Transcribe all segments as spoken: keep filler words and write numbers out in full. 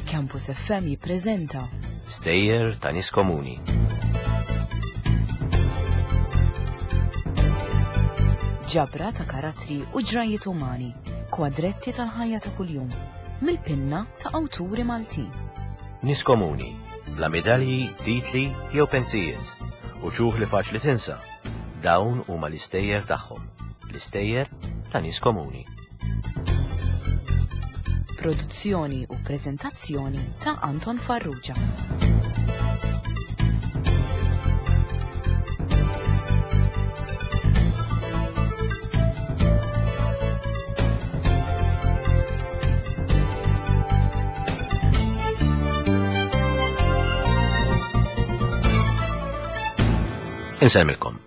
Campus F M jippreżenta Stejjer ta' Nies Komuni. Ġabra ta' karattri u ġrajiet umani, kwadretti tal-ħajja ta' kuljum, mill-pinna ta' awturi Maltin. Nies komuni, bla medalji, titli jew pensijiet, u ċuħ li faċli tinsa. Dawn huma l-istejjer tagħhom, l-istejjer ta' nies komuni. Produzzjoni u preżentazzjoni ta' Anton Farrugia. Insellmilkom.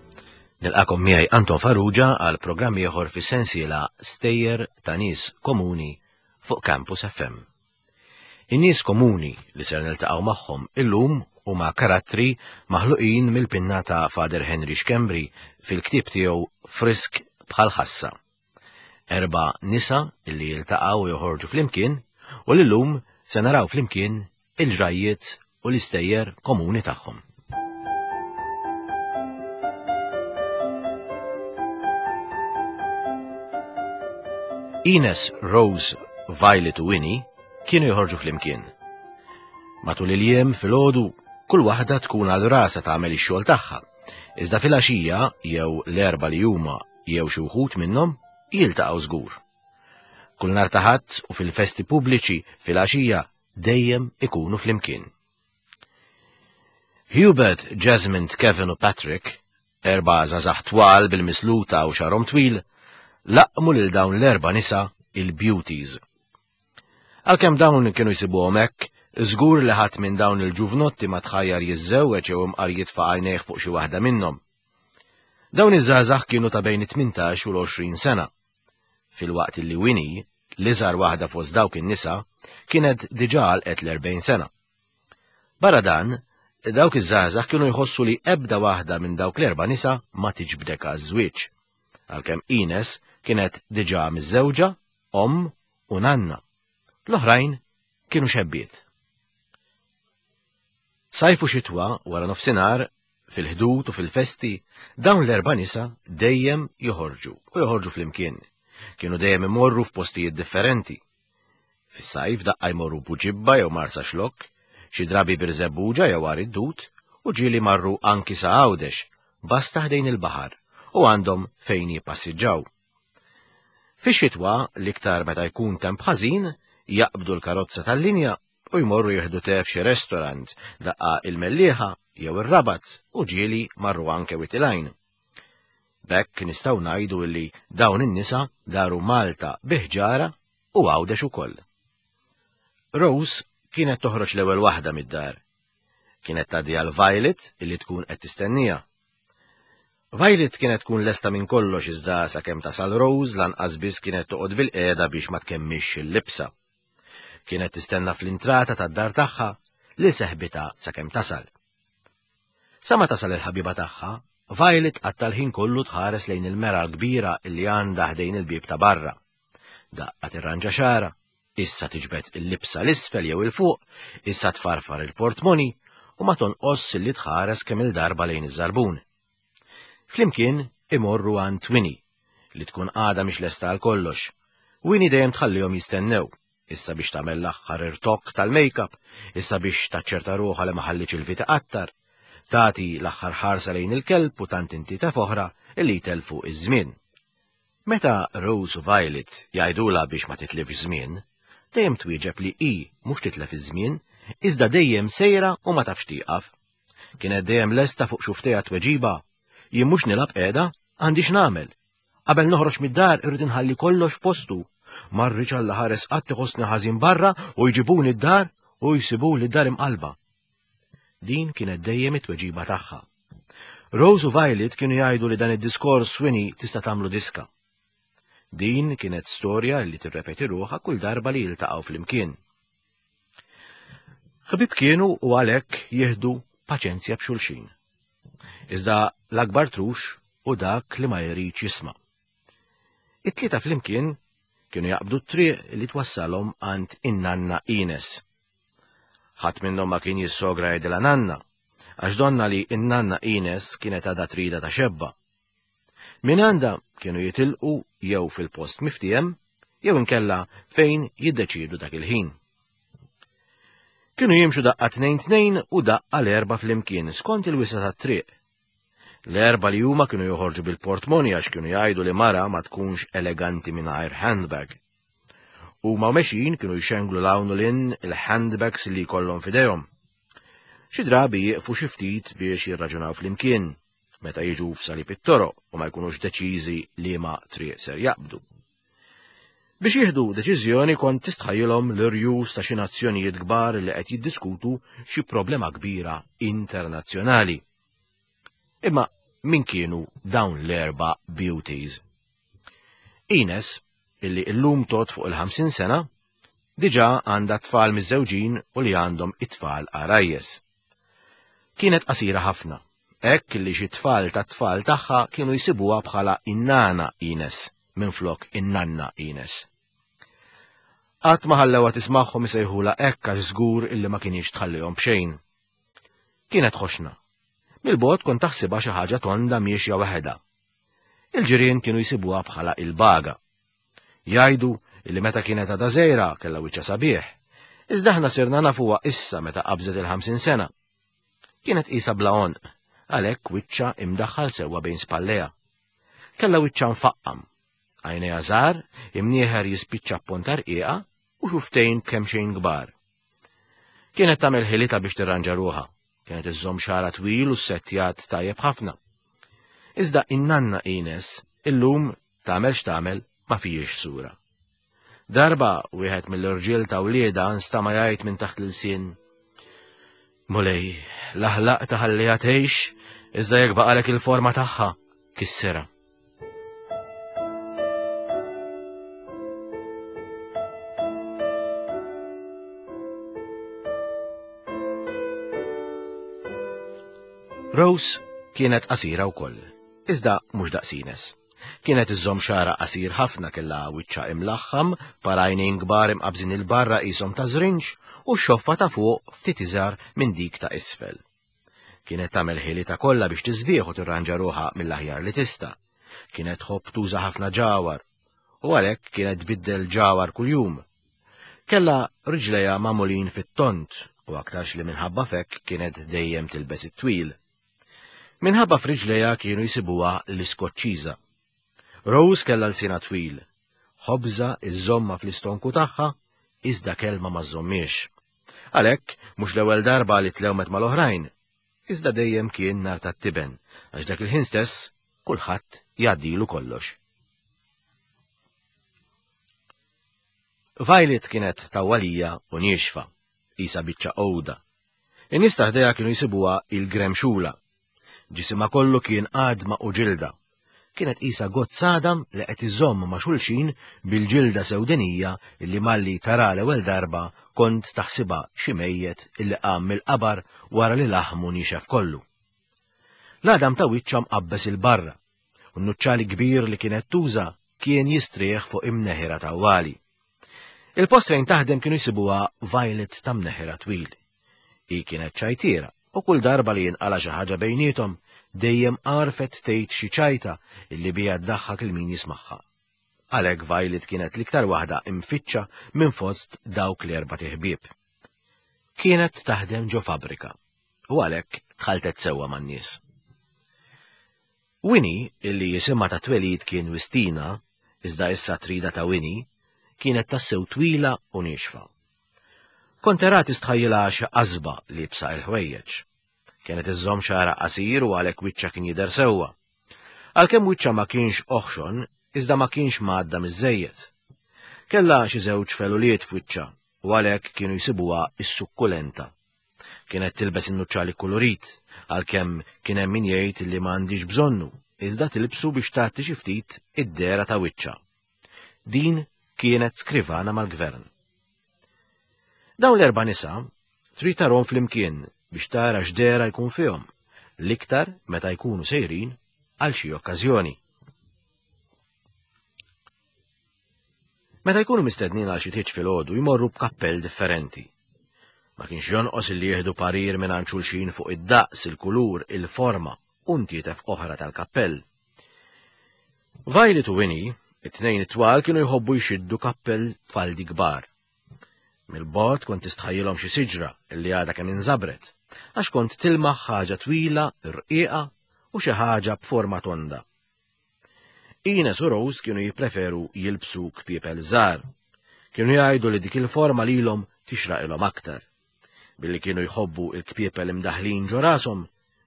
Nilqakom miegħi Anton Farrugia għal programm ieħor fis-sensiela Stejjer ta' Nies Komuni fuq Campus F M. In-nies komuni li ser niltaqgħu magħhom illum huma karattri maħluqin mill-pinna ta' Father Henry Schembri fil-ktieb tiegħu Frisk bħal ħassa. Erba' nisa li jiltaqgħu u joħorġu flimkien u li llum se naraw flimkien il-ġrajjiet u l-istejjer komuni tagħhom. Ines, Rose, Violet u Winnie kienu joħorġu flimkien. Matul il-jiem filgħodu kull waħda tkun għal rasha tagħmel ix-xogħol tagħha. Iżda filgħaxija jew l-erba' li huma jew xi wħud minnhom jiltaqgħu żgur. Kull nhar ta' Ħadd u fil-festi pubbliċi filgħaxija dejjem ikunu flimkien. Hubert, Jasmine, Kevin u Patrick, erba' żgħażagħ twal bil-misluta u xarhom twil, laqmu lil dawn l-erba' nisa il-beauties. Għalkemm dawn kienu jsibuhom hekk, żgur li ħadd minn dawn il-ġuvnotti ma tħajjar jiżżewweġ jew imqar jitfa' għajnejh fuq xi waħda minnhom. Dawn iż-żgħażagħ kienu ta' bejn it-tmintax u l-għoxrin sena. Filwaqt li Winnie, l-iżgħar waħda fost dawk in-nisa, kienet diġà għalqet l-erbgħin sena. Barra dan, dawk iż-żgħażagħ kienu jħossu li ebda waħda minn dawk l-erba' nisa ma tiġbdek għaż-żwieġ. Għalkemm Ines kienet diġà miżżewġa, omm u nanna. L-oħrajn kienu xebbiet. Sajfu xitwa wara nofsinhar, fil-ħdud u fil-festi, dawn l-erba' nisa dejjem joħorġu u joħorġu flimkien. Kienu dejjem imorru f'postijiet differenti. Fis-sajf daqqa jmorru Buġibba jew Marsa Xlokk, xi drabi Birżebbuġa jew Għar id-Dud, u ġieli marru anki sa Għawdex, basta ħdejn il-baħar u għandhom fejn jippassiġġaw. Fix-xitwa, l-iktar meta jkun temp ħażin, jaqbdu l-karozza tal-linja u jmorru jieħdu te f'xi restorant, daqqa il-Mellieħa jew ir-Rabat u ġieli marru anke Wied il-Għajn. B'hekk nistgħu ngħidu li dawn in-nisa daru Malta bi ħġara u Għawdex ukoll. Rose kienet toħroġ l-ewwel waħda mid-dar. Kienet tgħaddi għal Violet illi tkun qed tistennija. Violet kienet tkun lesta minn kollox iżda sakemm tasal Rose lanqas biss kienet toqgħod bil-qiegħda biex ma tkemmix il-libsa. Kienet tistenna fl-intrata tad-dar tagħha li seħbitha sakemm tasal. Sa ma tasal il-ħabiba tagħha, Violet qatta l-ħin kollu tħares lejn il-mera l-kbira illi għandha ħdejn il-bieb ta' barra. Daqqa tirranġa xagħarha, issa tiġbed il-libsa l-isfel jew il-fuq, issa tfarfar il-portmoni u ma tonqos illi tħares kemm il-darba lejn iż-żarbun. Flimkien imorru għand Winnie, li tkun għadha mhix lesta għal kollox. Winnie dejjem tħallihom jistennew, issa biex tagħmel l-aħħar irtokk tal-make-up, issa biex taċċerta ruħha li ma ħallitx il-vita qattar, tagħti l-aħħar ħarsa lejn il-kelb u tant inti taf oħra li jtelfu iż-żmien. Meta Rose u Violet jgħidulha biex ma titlifx żmien, dejjem twieġeb li hi mhux titlef iż-żmien, iżda dejjem sejra u ma tafx tieqaf. Kienet dejjem lesta fuq xuftejha tweġiba, jien mhux nilgħab qiegħda, għandi x'nagħmel. Qabel noħroġ mid-dar irrid inħalli kollox f'postu. Ma rridx Alla ħares qatt iħossni ħażin barra u jġibuni d-dar u jsibuli d-dar imqalba. Din kienet dejjem it-tweġiba tagħha. Rose u Violet kienu jgħidu li dan id-diskors Winnie tista' tagħmlu diska. Din kienet storja li tirrepeti ruħha kull darba li jiltaqgħu flimkien. Ħbieb kienu u għalhekk jieħdu paċenzja b'xulxin. Iżda l-akbar trux u dak li ma jridx jisma'. It-tlieta flimkien kienu jaqbdu t-triq li twassalhom għand in-nanna Ines. Ħadd minnhom ma kien jissogra jgħidilha nanna, għax donna li in-nanna Ines kienet għadha trida ta' xebba. Min għandha kienu jitilqu jew fil-post miftiem, jew inkella fejn jiddeċiedu dak il-ħin. Kienu jimxu daqqa tnejn tnejn u daqqa l-erba' flimkien skont il-wisa tat-triq. L-erba' li huma kienu joħorġu bil-portmoni għax kienu jgħidu li mara ma tkunx eleganti mingħajr handbag. Huma mexjin kienu jxenglu 'l hawn u 'l hinn il-handbags li jkollhom f'idejhom. Xi drabi jieqfu xi ftit biex jirraġunaw flimkien meta jiġu f'salib it-toroq u ma jkunux deċiżi liema triq ser jaqbdu. Biex jieħdu deċiżjoni kont tistħajjilhom l-irjus ta' xi nazzjonijiet kbar li qed jiddiskutu xi problema kbira internazzjonali. Imma min kienu dawn l-erba' beauties? Ines, illi illum tot fuq il-ħamsin sena, diġà għandha tfal miżżewġin u li għandhom it-tfal għarajjes. Kienet qasira ħafna, hekk li xi tfal tat-tfal tagħha kienu jsibuha bħala in-nana Ines minflok in-nanna Ines. Qatt ma ħallewha tismagħhom isejħulha hekk għax żgur illi ma kienx tħallihom b'xejn. Kienet ħoxna. Mill-bogħod kont taħsibha xi ħaġa tonda miexja waħedha. Il-ġirien kienu jsibuha bħala il-baga. Jgħidu illi meta kienet għadha żgħira kellha wiċċha sabiħ, iżda aħna sirna nafuha issa meta qabżet il-ħamsin sena. Kienet qisha bla għonq, għalhekk wiċċha imdaħħal sewwa bejn spallejha. Kellha wiċċha mfaqqam, għajnejha żgħar, imnieħer jispiċċa b'ponta rqiqa u xuftejn kemxejn kbar. Kienet tagħmel ħilitha biex tirranġa ruħha, kienet iżżomm xagħarha twil u ssettjat tajjeb ħafna. Iżda in-nanna Ines illum tagħmel x'tagħmel ma fijiex sura. Darba wieħed mill-irġiel ta' wliedha nstama' jgħid minn taħt l-ilsien: Mulej, l-aħlaq taħalliha tgħix, iżda jekk baqalek il-forma tagħha, kissirha. Rose kienet qasira wkoll, iżda mhux daqs Ines. Kienet iżżomm xagħarha qasir ħafna, kellha wiċċha imlaħħam, par għajnejn kbar imqabżin il-barra qishom ta' żrinġ u x-xoffa ta' fuq ftit iżgħar minn dik ta' isfel. Kienet tagħmel ħilitha kollha biex tisbieħ u tirranġa ruħha mill-aħjar li tista'. Kienet tħobb tuża ħafna ġawar u għalhekk kienet tbiddel ġawar kuljum. Kellha riġlejha magħmulin fit-tont u aktarx li minħabba fekk kienet dejjem tilbes it-twil. Minħabba f'riġlejha kienu jsibuha l-iskoċċiża. Rose kellha lsienha twil, ħobża iżżomma fl-istonku tagħha, iżda kelma ma żżommiex. Għalhekk mhux l-ewwel darba li tlewmet mal-oħrajn, iżda dejjem kien nar tat-tiben, għax dak il-ħin stess kulħadd jgħaddilu kollox. Violet kienet tawwalija u niexfa, qisha biċċa għoda. In-nies ta' ħdejha kienu jsibuha il-gremxula. Ġisimha kollu kien għadma u ġilda. Kienet qisha gozz għadam li qed iżomm ma' xulxin bil-ġilda sewdenija illi malli tara l-ewwel darba kont taħsibha xi mejjet illi qam mill-qabar wara li laħmu nixef kollu. L-għadam ta' wiċċha mqabbes il-barra, u n-nuċċali kbir li kienet tuża kien jistrieħ fuq imneħira tawwali. Il-post fejn taħdem kienu jsibuha Violet ta' mneħira twil. Hi kienet ċajtiera, u kull darba li jinqala xi ħaġa bejniethom dejjem għarfet tgħid xi ċajta illi biha ddaħħak il min jismagħha. Għalhekk Violet kienet l-iktar waħda imfittxa minn fost dawk l-erba' ħbieb. Kienet taħdem ġo fabbrika u għalhekk tħaltet sewwa man-nies. Winnie, illi jisimha ta' twelid kien Wistina, iżda issa trida ta' Winnie, kienet tassew twila u niexfa. Kont tara tistħajjilha xi qasba liebsa il-ħwejjeġ. Kienet iżżomm xagħarha qasir u għalhekk wiċċha kien jidher sewwa. Għalkemm wiċċha ma kienx oħxon, iżda ma kienx mgħadda miż-żejjed. Kellha xi żewġ feluliet f'wiċċha u għalhekk kienu jsibuha is-sukkulenta. Kienet tilbes in-nuċċali kulurit, għalkemm kien hemm min jgħid li ma għandix bżonnu, iżda tilbsu biex tagħti xi ftit id-dehra ta' wiċċha. Din kienet skrivana mal-gvern. Dawn l-erba' nisa trid tarhom flimkien biex tara x'dehra jkun fihom, l-iktar meta jkunu sejrin għal xi okkażjoni. Meta jkunu mistednin għal xi tieġ filgħodu jmorru b'kappell differenti. Ma kienx jonqos illi jieħdu parir minn xulxin fuq id-daqs, il-kulur, il-forma u ntietef oħra tal-kappell. Violet u Winnie, it-tnejn it-twal, kienu jħobbu jxiddu kappell faldi kbar. Mill-bogħod kont tistħajjilhom xi siġra illi għadha kemm inżabret, għax kont tilmaħ ħaġa twila, rqiqa u xi ħaġa b'forma tonda. Ines u Rose kienu jippreferu jilbsu kpiepel żgħar. Kienu jgħidu li dik il-forma lilhom tixraqilhom aktar. Billi kienu jħobbu il-kpiepel imdaħlin ġo rashom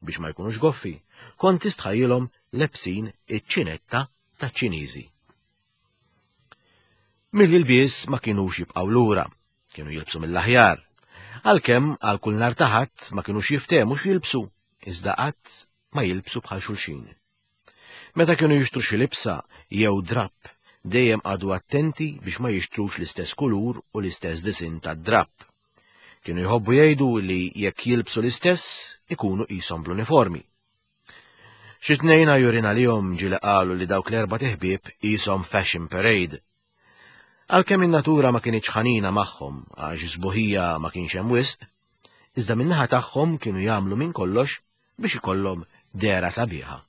biex ma jkunux goffi, kont tistħajjilhom lebsin iċ-ċinetta taċ-Ċiniżi. Mill-ilbies ma kinux jibqgħu lura, kienu jilbsu mill-aħjar. Għalkemm għal kull nhar ta' Ħadd ma kinux jiftehmu x'jilbsu, iżda qatt ma jilbsu bħal xulxin. Meta kienu jixtru xi libsa jew drapp, dejjem qagħdu attenti biex ma jixtrux l-istess kulur u l-istess disinn tad-drapp. Kienu jħobbu jgħidu li jekk jilbsu l-istess ikunu qishom bl-uniformi. Xi tnejn għajurin għalihom ġieli qalu li dawk l-erba' teħbieb qishom fashion parade. Għalkemm in-natura ma kinitx ħanina magħhom għax sbuħija ma kienx hemm wisq, iżda min-naħa tagħhom kienu jagħmlu minn kollox biex ikollhom dehra sabiħa.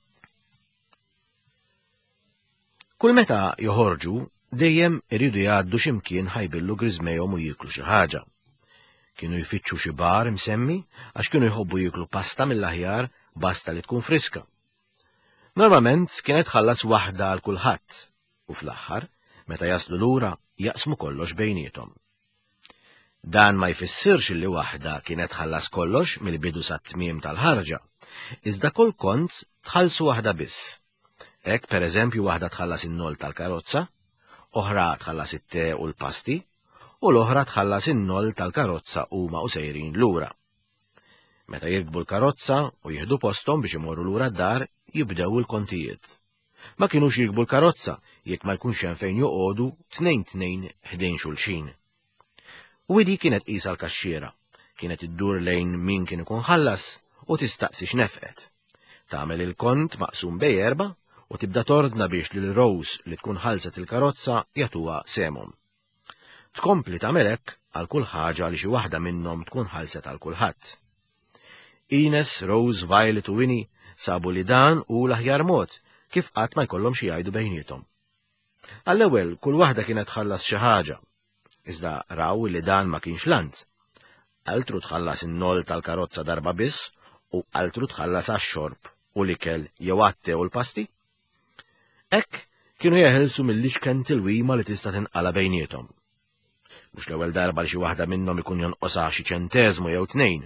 Kull meta joħorġu, dejjem iridu jgħaddu x'imkien ħajbillu griżmejhom u jieklu xi ħaġa. Kienu jfittxu xi bar imsemmi għax kienu jħobbu jieklu pasta mill-aħjar, basta li tkun friska. Normalment kienet tħallas waħda għal kulħadd u fl-aħħar, meta jaslu lura, jaqsmu kollox bejniethom. Dan ma jfissirx li waħda kienet tħallas kollox mill-bidu sat-tmiem tal-ħarġa, iżda kull kont tħallsu waħda biss. Hekk per eżempju waħda tħallas in-nol tal-karozza, oħra tħallas it-te u l-pasti, u l-oħra tħallas in-nol tal-karozza huma u sejrin lura. Meta jirkbu l-karozza u jieħdu posthom biex imorru lura d-dar, jibdew il-kontijiet. Ma kinux jirkbu l-karozza jekk ma jkunx hemm fejn joqogħdu tnejn tnejn ħdejn xulxin. Winnie kienet qisha l-kaxxiera, kienet iddur lejn min kien ikun ħallas u tistaqsi x'nefqet. Tagħmel il-kont maqsum bej erba' u tibda tordna biex lil Rose li tkun ħalset il-karozza jagħtuha sehemhom. Tkompli tagħmel hekk għal kull ħaġa li xi waħda minnhom tkun ħalset għal kulħadd. Ines, Rose, Violet u Winnie sabu li dan hu l-aħjar mod kif qatt ma jkollhom xi jgħidu bejniethom. Għall-ewwel kull waħda kienet tħallas xi ħaġa, iżda raw li dan ma kienx lant. Altru tħallas in-nol tal-karozza darba biss u altru tħallas għax-xorb u l-ikel jew għat-te u l-pasti. Hekk kienu jeħilsu mill-iċken tilwima li tista' tinqala bejniethom. Mhux l-ewwel darba li xi waħda minnhom ikun jonqosha xi ċenteżmu jew tnejn.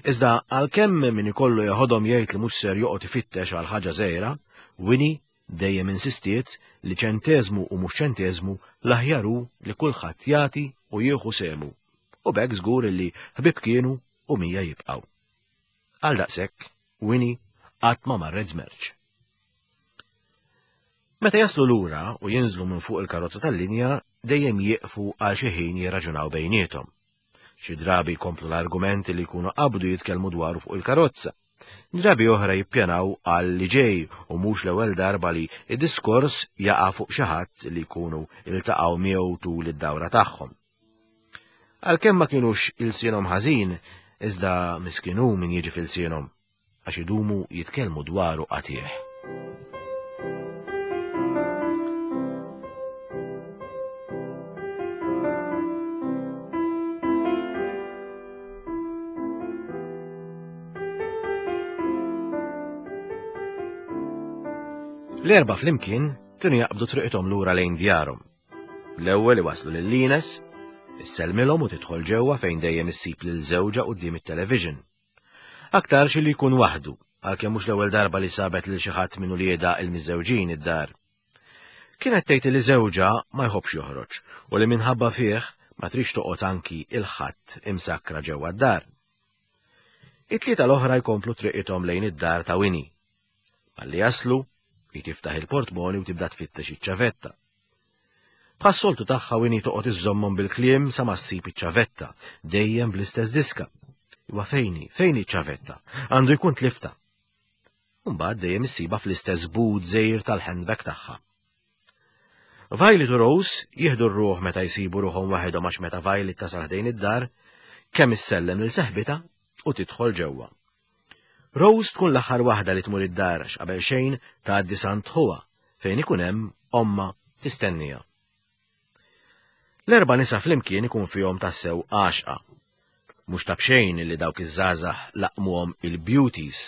Iżda għalkemm min ikollu jeħodhom jgħid li mhux ser joqgħod ifittex għal ħaġa żgħira, Winnie dejjem insistiet li ċenteżmu u mhux ċenteżmu l-aħjar hu li kulħadd jagħti u jieħu sehmu, u b'hekk żgur li ħbieb kienu u mija jibqgħu. Għal daqshekk, Winnie qatt ma marret żmerċ. Meta jaslu lura u jinżlu minn fuq il-karozza tal-linja, dejjem jieqfu għal xi ħin jirraġunaw bejniethom. Xi drabi jkomplu l-argumenti li jkunu qabdu jitkellmu dwaru fuq il-karozza. Drabi oħra jippjanaw għal li ġej u mhux l-ewwel darba li id-diskors jaqa' fuq xi ħadd li jkunu iltaqgħu miegħu tul id-dawra tagħhom. Għalkemm ma kinux ilsienhom ħażin, iżda miskin hu min jiġi f'ilsienhom, għax idumu jitkellmu dwaru qatih. L-erba' flimkien kienu jaqbdu triqithom lura lejn djarhom. L-ewwel iwaslu lil Ines, issellmilhom u tidħol ġewwa fejn dejjem issib lil żewġha quddiem it-television. Aktarx li jkun waħdu, għalkemm mhux l-ewwel darba li sabet lil xi ħadd minn uliedha il-miżżewġin id-dar. Kienet tgħid li żewġha ma jħobbx joħroġ u li minħabba fih ma trix toqgħod anki il-ħadd imsakkra ġewwa d-dar. It-tlieta l-oħra jkomplu triqithom lejn id-dar ta' Winnie. Malli jaslu, hi tiftaħ il-portmoni u tibda tfittex iċ-ċavetta. Bħas-soltu tagħha Winnie toqgħod iżżommhom bil-kliem sa ma ssib iċ-ċavetta, dejjem bl-istess diska. Iwa fejni, fejni ċ-ċavetta, għandu jkun tlifta. Mbagħad dejjem issibha fl-istess but żgħir tal-handbag tagħha. Violet u Rose jieħdu r-ruħ meta jsibu ruħhom waħedhom għax meta Violet tasal ħdejn id-dar, kemm issellem lil seħbitha u tidħol ġewwa. Rose tkun l-aħħar waħda li tmur id-dar għax qabel xejn tgħaddi s'għand ħuha fejn ikun hemm ommha tistennija. L-erba' nisa flimkien ikun fihom tassew għaxqa. Mhux ta' b'xejn li dawk iż-żgħażagħ laqmuhom il-beauties.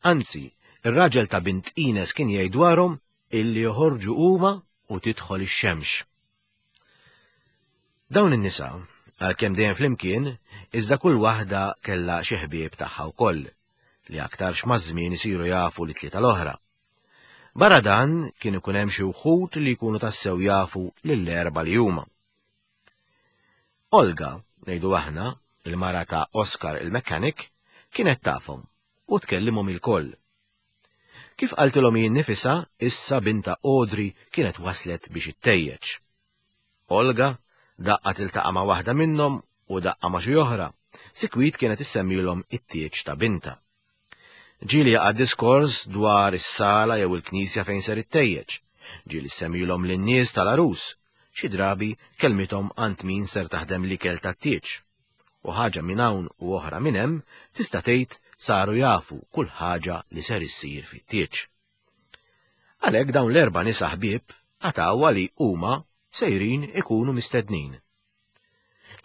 Anzi, ir-raġel ta' bint Ines kien jgħid dwarhom illi joħorġu huma u tidħol ix-xemx. Dawn in-nisa, għalkemm dejjem flimkien, iżda kull waħda kellha xi ħbieb tagħha wkoll, li aktarx maż-żmien isiru jafu li tlieta l-oħra. Barra dan kien ikun hemm xi wħud li jkunu tassew jafu lill-erba' li huma. Olga, ngħidu aħna, il-mara ta' Oscar il-mechanic, kienet tafhom u tkellimhom ilkoll. Kif qaltilhom hi nnifisha, issa binta Audrey kienet waslet biex ittejjeġ. Olga daqqa tiltaqa' ma' waħda minnhom u daqqa ma' xi oħra, sikwit kienet issemmilhom it-tieġ ta' binta. Ġieli jaqa' diskors dwar is-sala jew il-knisja fejn ser ittejjeġ, ġieli ssemmilhom lin-nies tal-għarus, xi drabi kelmithom għand min ser taħdem l-ikel tat-tieġ. U ħaġa minn hawn u oħra minn hemm tista' tgħid saru jafu kull ħaġa li ser issir fit-tieġ. Għalhekk dawn l-erba' nisa ħbieb qatgħuha li huma sejrin ikunu mistednin.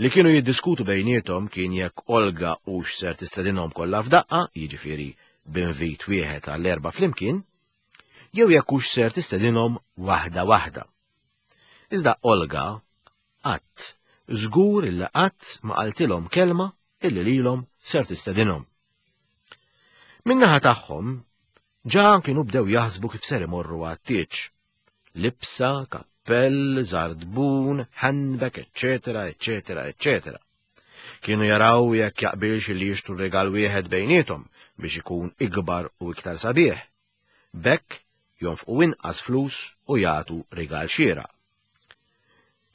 Li kienu jiddiskutu bejniethom kien jekk Olga hux ser tistedinhom kollha f'daqqa, jiġifieri b'invit wieħed għall-erba' flimkien, jew jekk hux ser tistedinhom waħda waħda. Iżda Olga qatt, żgur illi qatt ma qaltilhom kelma illi lilhom ser tistedinhom. Min-naħa tagħhom ġa kienu bdew jaħsbu kif ser imorru għat-tieġ. Libsa, kappell, żarbun, handbag, eċċetera, eċċetera, eċċetera. Kienu jaraw jekk jaqbilx li jixtru regal wieħed bejniethom biex ikun ikbar u iktar sabiħ. B'hekk jonfqu inqas flus u jagħtu rigal xieraq.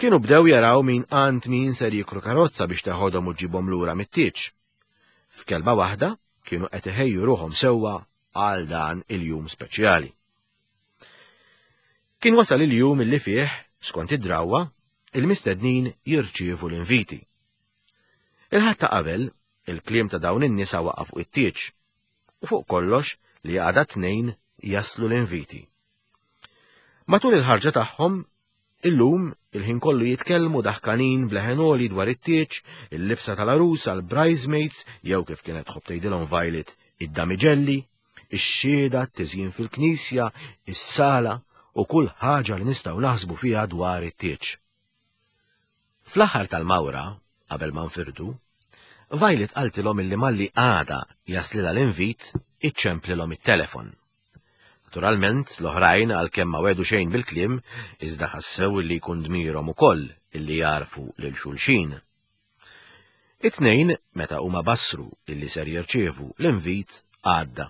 Kienu bdew jaraw min għand min ser jikru karozza biex teħodhom u ġibhom lura mit-tieġ. F'kelma waħda kienu qed iħejju ruħhom sewwa għal dan il-jum speċjali. Kien wasal il-jum illi fih, skont id-drawwa, il-mistednin jirċievu l-inviti. Il-Ħadd ta' qabel, il-kliem ta' dawn in-nisa waqa' fuq it-tieġ, u fuq kollox li għada tnejn jaslu l-inviti. Matul il-ħarġa tagħhom, illum il-ħin kollu jitkellmu daħkanin b'leħen għoli dwar it-tieġ, il-libsa tal-għarusa, l-bridesmaids, jew kif kienet tħobb tgħidilhom Violet, id-damiġelli, ix-xhieda, t-tiżjin fil-knisja, is-sala u kull ħaġa li nistgħu naħsbu fiha dwar it-tieġ. Fl-aħħar tal-mawra, qabel ma nfirdu, Violet qaltilhom illi malli għada jaslilha l-invit, iċċemplilhom it-telefon. Naturalment, l-oħrajn għalkemm ma wedu xejn bil-kliem, iżda ħassew li jkun dmirhom ukoll illi jarfu lil xulxin. It-tnejn, meta huma bassru illi ser jirċievu l-invit, għadda,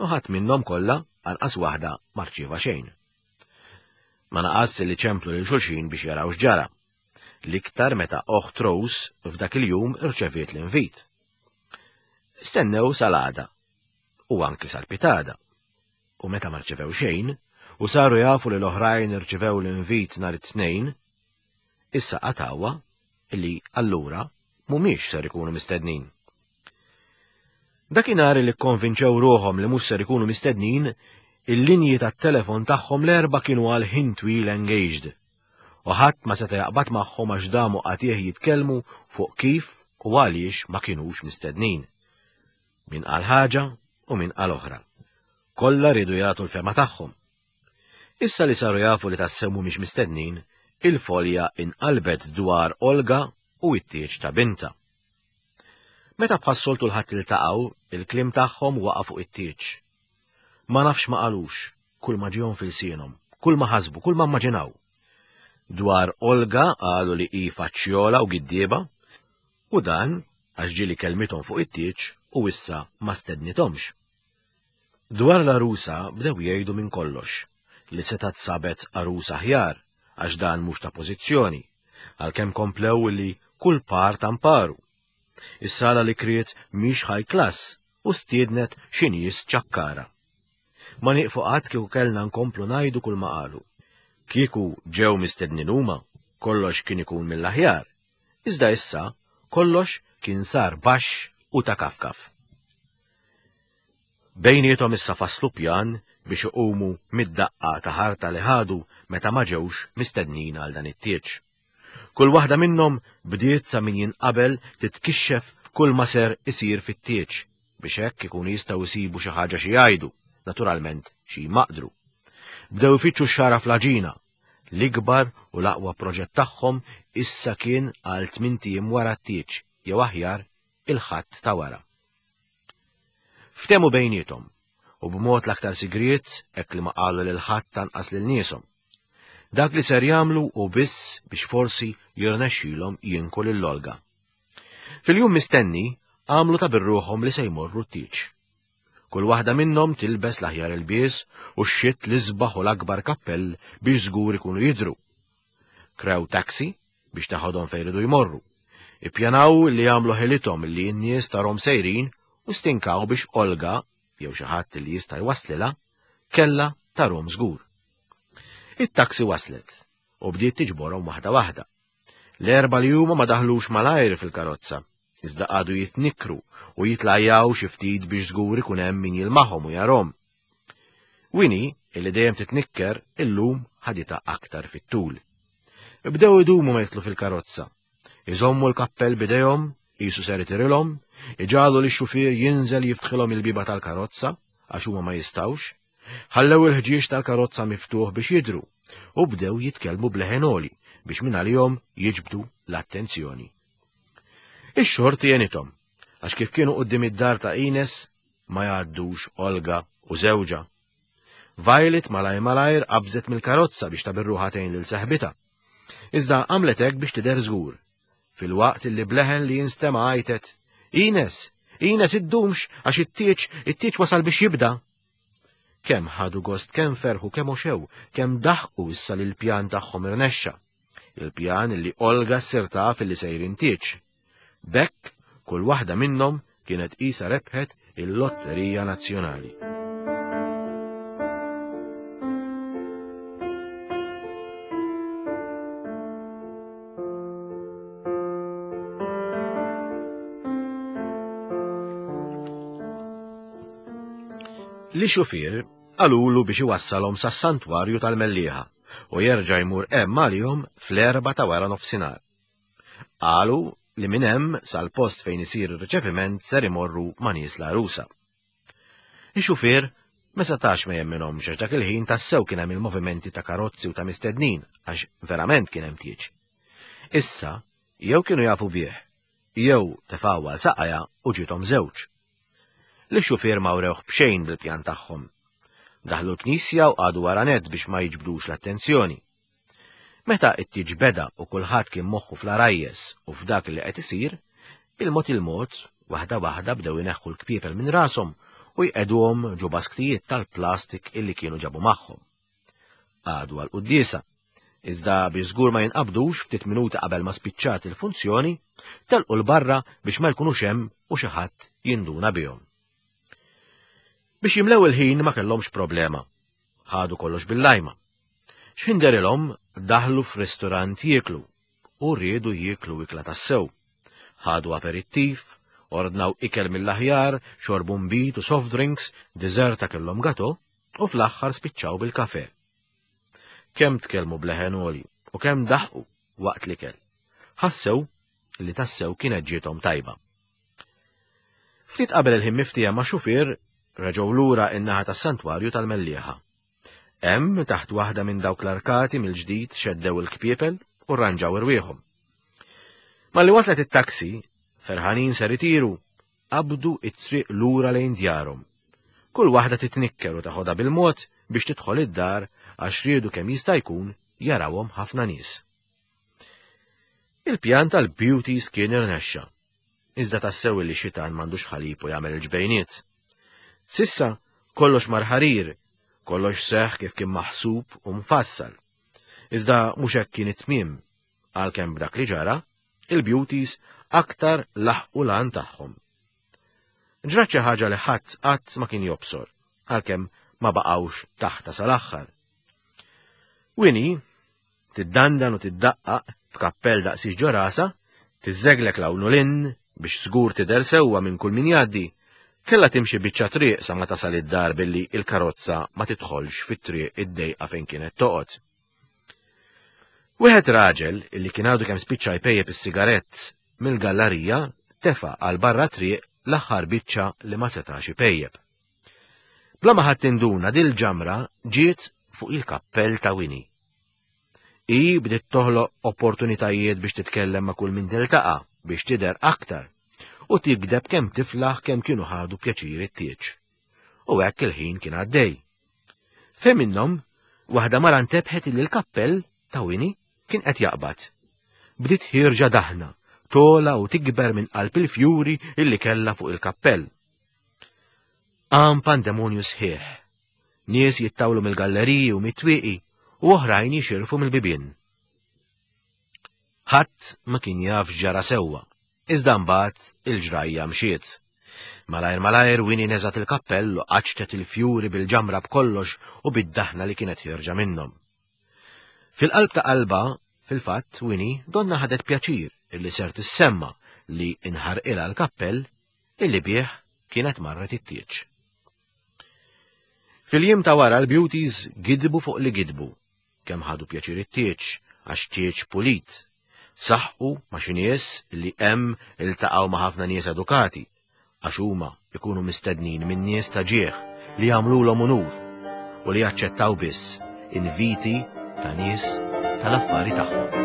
u ħadd minnhom kollha anqas waħda ma rċieva xejn. Ma naqas li ċemplu lil xulxin biex jaraw x'ġara. L-iktar meta oħt Rose f'dak il-jum irċeviet l-invit. Stennew sal-għada u anki sal-pitada. U meta ma rċevew xejn, u saru jafu li l-oħrajn irċevew l-invit nhar it-tnejn, issa qatgħuha illi allura mhumiex ser ikunu mistednin. Dakinhar li kkonvinċew ruħhom li mhux ser ikunu mistednin, il-linji tat-telefon tagħhom l-erba' kienu għal ħin twil engaged, u ħadd ma seta' jaqbad magħhom għax damu qatih jitkellmu fuq kif u għaliex ma kinux mistednin. Min qal ħaġa u min qal oħra. Kollha riedu jagħtu l-fehma tagħhom. Issa li saru jafu li tassew mhumiex mistednin, il-folja inqalbet dwar Olga u t-tieġ ta' binta. Meta bħas-soltu l-Ħadd iltaqgħu, il-kliem tagħhom waqa' fuq it-tieġ. Ma nafx ma qalux, kull ma ġihom fil-sienhom, kull ma ħasbu, kull ma immaġinaw. Dwar Olga qalu li hi faċċjola u giddieba, u dan għax ġieli kelmithom fuq it-tieġ u issa ma stednithomx. Dwar l-għarusa bdew jgħidu minn kollox, li setgħet sabet għarusa aħjar għax dan mhux ta' pożizzjoni, għalkemm komplew li kull par tamparu. Is-sala li kriet mhix high class u stiednet xi nies ċakkara. Ma nieqfu qatt kieku kellna nkomplu ngħidu kull ma qalu. Kieku ġew mistednin huma, kollox kien ikun mill-aħjar, iżda issa kollox kien sar baxx u ta' kafkaf. Bejniethom issa faslu pjan biex iqumu mid-daqqa ta' ħarta li ħadu meta ma ġewx mistednin għal dan it-tieġ. Kull waħda minnhom bdiet sa min jinqabel titkixxef kull ma ser isir fit-tieġ biex hekk ikunu jistgħu jsibu xi ħaġa xi jgħidu, naturalment xi jmaqdru. Bdew ifittxu x-xara fl-għaġina. L-ikbar u l-aqwa proġett tagħhom issa kien għal tmint ijiem wara t-tieġ, jew aħjar il-Ħadd ta' wara. Ftehmu bejniethom u b'mod l-aktar sigriet hekk li ma qalu lil ħadd anqas lil nieshom. Dak li ser jagħmlu hu biss biex forsi jirnexxilhom jinku lil Olga. Fil-jum mistenni għamlu ta' birruħhom li se jmorru t-tieġ. Kull waħda minnhom tilbes l-aħjar ilbies u xxitt l-isbaħ u l-akbar kappell biex żgur ikunu jidhru. Krew taxi biex taħodhom fejn iridu jmorru. Ippjanaw li jagħmlu ħilithom li n-nies tarhom sejrin u stinkaw biex Olga, jew xi ħadd li jista' jwaslilha, kellha tarhom żgur. It-taxi waslet u bdiet tiġborhom waħda waħda. L-erba' li huma ma daħlux malajr fil-karozza, iżda qagħdu jitnikkru u jitlajjaw xi ftit biex żgur ikun hemm min jilmaħhom u jarhom. Winnie, illi dejjem titnikker, illum ħaditha aktar fit-tul. Bdew idumu ma jitlu fil-karozza. Iżommu l-kappell b'idejhom, qisu ser itirilhom, iġagħlu lix-xufier jinżel jiftħilhom il-bieba tal-karozza għax huma ma jistgħux, ħallew il-ħġieġ tal-karozza miftuħ biex jidhru u bdew jitkellmu b'leħen għoli biex minn għalihom jiġbdu l-attenzjoni. Ix-xorti għenithom, għax kif kienu quddiem id-dar ta' Ines ma jgħaddux Olga u żewġha. Violet malajr malajr qabżet mill-karozza biex tabirruħa tgħin lil seħbitha. Iżda għamlet hekk biex tidher żgur, filwaqt li bleħen li jinstema' għajtet, Ines, Ines iddumx għax it-tieġ, it-tieġ wasal biex jibda. Kemm ħadu gost, kemm ferħu, kemm oxew, kemm daħqu issa li l-pjan tagħhom irnexxa. Il-pjan li Olga ssir taf li sejrin tieġ. B'hekk, kull waħda minnhom kienet qisha rebħet il-Lotterija Nazzjonali. Li xufier qalulu biex iwassalhom sas-santwarju tal-Mellieħa u jerġa' jmur hemm għalihom fl-erba' ta' wara nofsinhar. Qalu li minn hemm sal-post fejn isir ir-riċeviment ser imorru ma' nies l-għarusa. Ix-xufier ma setax ma jemminhomx għax dak il-ħin tassew kien hemm il-movimenti ta' karozzi u ta' mistednin għax verament kien hemm tieġ. Issa jew kienu jafu bih, jew tefgħu għal saqajja u ġiethom żewġ. Li xufier ma wrewh b'xejn bil-pjan tagħhom. Daħlu l-knisja u qagħdu wara nett biex ma jiġbdux l-attenzjoni. Meta t-tieġ beda u kulħadd kien moħħu fl-arajjes u f'dak li qed isir, il-mod il-mod, waħda waħda bdew ineħħu l-kpiepel minn rashom u jqegħduhom ġo basktijiet tal-plastik illi kienu ġabu magħhom. Qagħdu għall-quddiesa, iżda biex żgur ma jinqabdux ftit minuti qabel ma spiċċat il-funzjoni, telqu 'l barra biex ma jkunux hemm u xi ħadd jinduna bihom. Biex jimlew il-ħin ma kellhomx problema. Ħadu kollox bil-lajma. X'ħinderilhom daħlu f'ristorant jieklu u riedu jieklu ikla tassew. Ħadu aperittiv, ordnaw ikel mill-aħjar, xorbu nbid u soft drinks, deżerta kellhom gato u fl-aħħar spiċċaw bil-kafe. Kemm tkellmu bleħen għoli u kemm daħqu waqt l-ikel. Ħassew li tassew kienet ġiethom tajba. Ftit qabel il-ħin miftija ma' xufier reġgħu lura in-naħa tas-santwarju tal-Mellieħa. Hemm taħt waħda minn dawk l-arkati mill-ġdid xeddew il-kpiepel u rranġaw irwieħhom. Malli waslet it-taxi, ferħanin ser itiru, qabdu it-triq lura lejn djarhom. Kull waħda titnikker u taħodha bil-mod biex tidħol id-dar għax riedu kemm jista' jkun jarawhom ħafna nies. Il-pjan tal-beauties kien irnexxa. Iżda tassew li xitan m'għandux ħalib u jagħmel il-ġbejniet. Sissa kollox mar ħarir, kollox seħħ kif kien maħsub u mfassal. Iżda mhux hekk kien it-tmiem, għalkemm b'dak li ġara, il-beauties aktar laħqu l-għan tagħhom. Ġrat xi ħaġa li ħadd qatt ma kien jobsor, għalkemm ma baqgħux taħta sal-aħħar. Winnie, tiddandan u tiddaqqaq b'kappell daqsix ġo rasha, tiżżeglek 'l hawn u 'l hinn biex żgur tidher sewwa minn kull min jgħaddi, kellha timxi biċċa triq sa ma tasal id-dar billi il-karozza ma tidħolx fit-triq id-dejqa fejn kienet toqgħod. Wieħed raġel illi kien għadu kemm spiċċa jpejjep is-sigarett mill-gallarija tefa' għal barra triq l-aħħar biċċa li ma setax ipejjep. Bla ma ħadd induna dil-ġamra ġiet fuq il-kappell ta' Winnie. Hi bdiet toħloq opportunitajiet biex titkellem ma' kull min tiltaqa' biex tidher aktar u tigdeb kemm tiflaħ kemm kienu ħadu pjaċir it-tieġ. U hekk il-ħin kien għaddej. Fejn minnhom, waħda mara ntebħet illi l-kappell ta' Winnie kien qed jaqbad. Bdiet ħierġa daħna, togħla u tikber minn qalb il-fjuri illi kellha fuq il-kappell. Qam pandemonju sħiħ. Nies jittawlu mill-galleriji u mit-twieqi u oħrajn jixirfu mill-bibien. Ħadd ma kien jaf ġara sewwa, iżda mbagħad il-ġrajja mxiet. Malajr malajr Winnie neżgħet il-kappell u qaċċtet il-fjuri bil-ġamra b'kollox u bid-daħna li kienet ħierġa minnhom. Fil-qalb ta' qalba, fil-fatt, Winnie donna ħadet pjaċir illi ser tissemma li inħarqilha l-kappell illi bih kienet marret it-tieġ. Fil-jiem ta' wara l-beauties gidbu fuq li gidbu, kemm ħadu pjaċir it-tieġ, għax tieġ pulit. Saħqu ma' xi nies li hemm iltaqgħu ma' ħafna nies edukati, għax huma ikunu mistednin minn nies ta' ġieħ li jagħmlulhom unur u li jaċċettaw biss inviti ta' nies tal-affari tagħhom.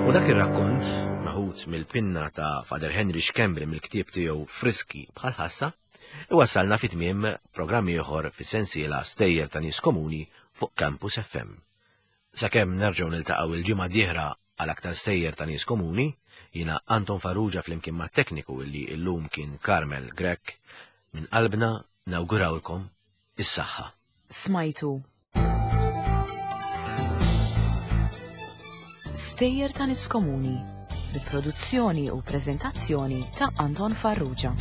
U dak ir-rakkont meħud mill-pinna ta' Father Henry Schembri mill-ktieb tiegħu Friski bħal ħassa, iwassalna fi tmiem programm ieħor fis-sensiela Stejjer ta' Nies Komuni fuq Campus F M. Sakemm nerġgħu niltaqgħu il-ġimgħa dieħla għal aktar Stejjer ta' Nies Komuni, jiena Anton Farrugia flimkien mat-tekniku illi llum kien Carmel Grech, minn qalbna nawgurawlkom is-saħħa. Smajtu Stejjer ta' Nies Komuni, bi produzzjoni u preżentazzjoni ta' Anton Farrugia.